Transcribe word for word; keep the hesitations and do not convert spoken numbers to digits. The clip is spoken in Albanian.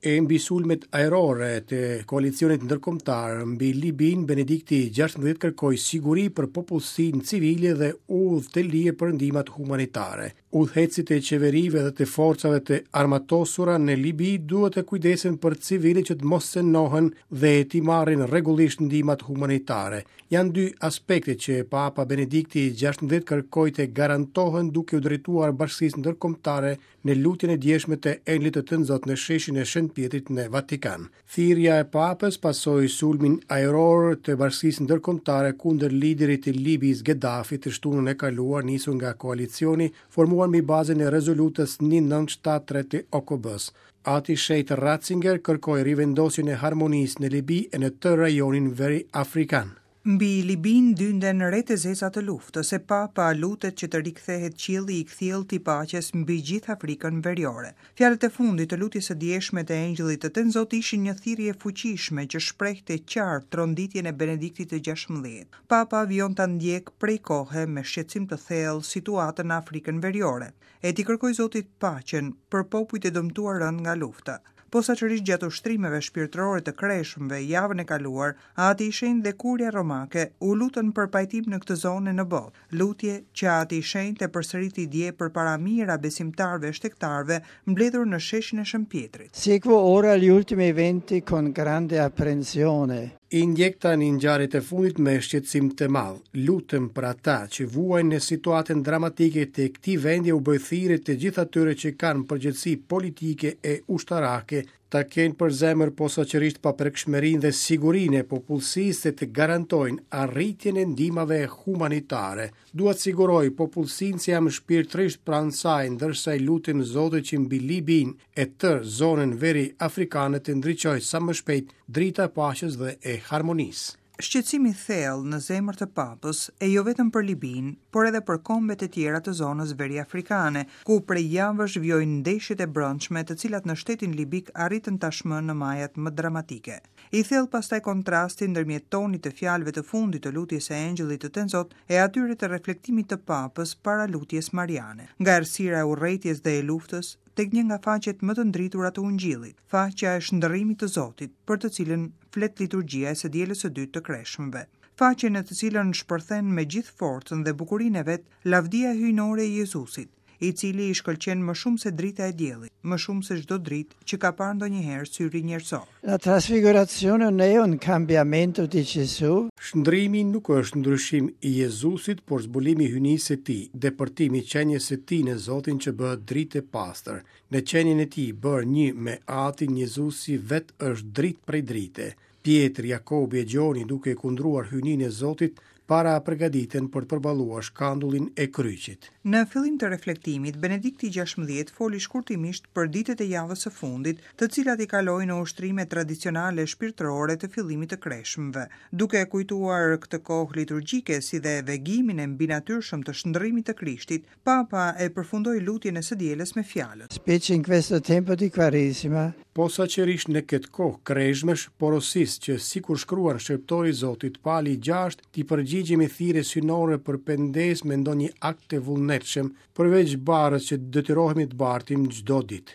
E mbi sulmet ajrore të koalicionit ndërkombëtar mbi Libinë, Benedikti gjashtëmbëdhjetë kërkoi siguri për popullsinë civile dhe udhë të lirë për ndihmat humanitare. Udhëheqësit e qeverive dhe të forcave të armatosura në Libi duhet të kujdesen për civilët që të mos cenohen dhe t'i marrin rregullisht ndihmat humanitare. Janë dy aspekte që Papa Benedikti gjashtëmbëdhjetë kërkoi të garantohen duke u drejtuar bashkësisë ndërkombëtare në lutjen e djeshme të Engjëllit të Tënzot në sheshin e Shën Pjetrit në Vatikan. Thirrja e Papës pasoi sulmin ajror të bashkësisë ndërkombëtare kundër liderit të Libisë Gaddafi të shtunën e kaluar, nisur nga koalicioni formuar mbi bazën e rezolutës një nëntë shtatë tre të O K B-s. Ati Shenjt Ratzinger kërkoi rivendosjen e harmonisë në Libi e në tërë rajonin veri afrikan. Mbi Libinë dynden retë e zeza të luftës, e Papa lutet që të rikthehet qielli i kthjellët i paqes mbi gjithë Afrikën veriore. Fjalët e fundit të lutjes së djeshme të Engjëllit të Tënzot ishin një thirrje e fuqishme që shprehte qartë tronditjen e Benediktit të gjashtëmbëdhjetë. Papa vijon ta ndjek prej kohe me shqetësim të thellë situatën në Afrikën veriore, e t'i kërkoj Zotit paqen për popujt e dëmtuar rënd nga lufta. Posaçërisht gjatë ushtrimeve shpirtërore të kreshmëve javën e kaluar, Ati i Shenjtë dhe Kuria Romake u lutën për pajtim në këtë zonë e në botë. Lutje që Ati i Shenjtë e përsëriti dje përpara mijëra besimtarëve e shtegtarëve mbledhur në sheshin e Shën Pjetrit. Seguo ora gli ultimi eventi con grande apprensione. I ndjek tani ngjarjet e fundit me shqetësim të madh. Lutem për ata që vuajnë në situatën dramatike të këtij vendi, u bëj thirrje të gjithë atyre që kanë përgjegjësi politike e ushtarake ta kenë për zemër posaçërisht paprekshmërinë dhe sigurinë e popullsisë dhe të garantojnë arritjen e ndihmave humanitare. Dua të siguroj popullsinë se jam shpirtërisht pranë saj, ndërsa i lutem Zotit që mbi Libinë e tërë zonën veri afrikane të ndriçojë sa më shpejt drita e paqes dhe e harmonisë. Shqetësimi i thellë në zemër të Papës, e jo vetëm për Libinë, por edhe për kombet e tjera të zonës veri-afrikane, ku prej javësh vijojnë ndeshjet e brendshme, të cilat në shtetin libik arritën tashmë në majat më dramatike. I thellë pastaj kontrasti ndërmjet tonit të fjalëve të fundit të lutjes së Engjëllit të Tënzot e atyre të reflektimit të Papës para lutjes mariane, nga errësira e urrejtjes dhe e luftës tek një nga faqet më të ndritura të Ungjillit, faqja e shndërrimit të Zotit, për të cilën flet liturgjia e së dielës së dytë të kreshmëve. Faqe në të cilën shpërthen me gjithë forcën dhe bukurinë e vet lavdia hyjnore e Jezusit, i cili i shkëlqen më shumë se drita e diellit, më shumë se çdo dritë që ka parë ndonjëherë syri njerëzor. La trasfigurazione non è un cambiamento di Gesù. Shndrimi nuk është ndryshim i Jezusit, por zbulimi i hyjnisë së tij, depërtimi i qenies së tij në Zotin që bëhet dritë e pastër. Në qenien e tij bërë një me Atin, Jezusi vetë është dritë prej drite. Pjetri, Jakobi e Gjoni, duke kundruar hyjninë e Zotit, para përgatiten për të përballuar shkandullin e kryqit. Në fillim të reflektimit, Benedikti gjashtëmbëdhjetë foli shkurtimisht për ditët e javës së fundit, të cilat i kaloi në ushtrime tradicionale shpirtërore të fillimit të kreshmëve, duke e kujtuar këtë kohë liturgjike si dhe vegimin e mbinatyrshëm të shndërrimit të Krishtit, Papa e përfundoi lutjen e së dielës me fjalët. Specie in questo tempo di Quaresima. Posaçërisht në këtë kohë kreshmësh, porosis që sikur shkruan shërbëtori i Zotit Pali gjashtë, t'i përgjigjemi thirrjes synore për pendesë me ndonjë akt të vullnetshëm, përveç barrës që detyrohemi të bartim çdo ditë.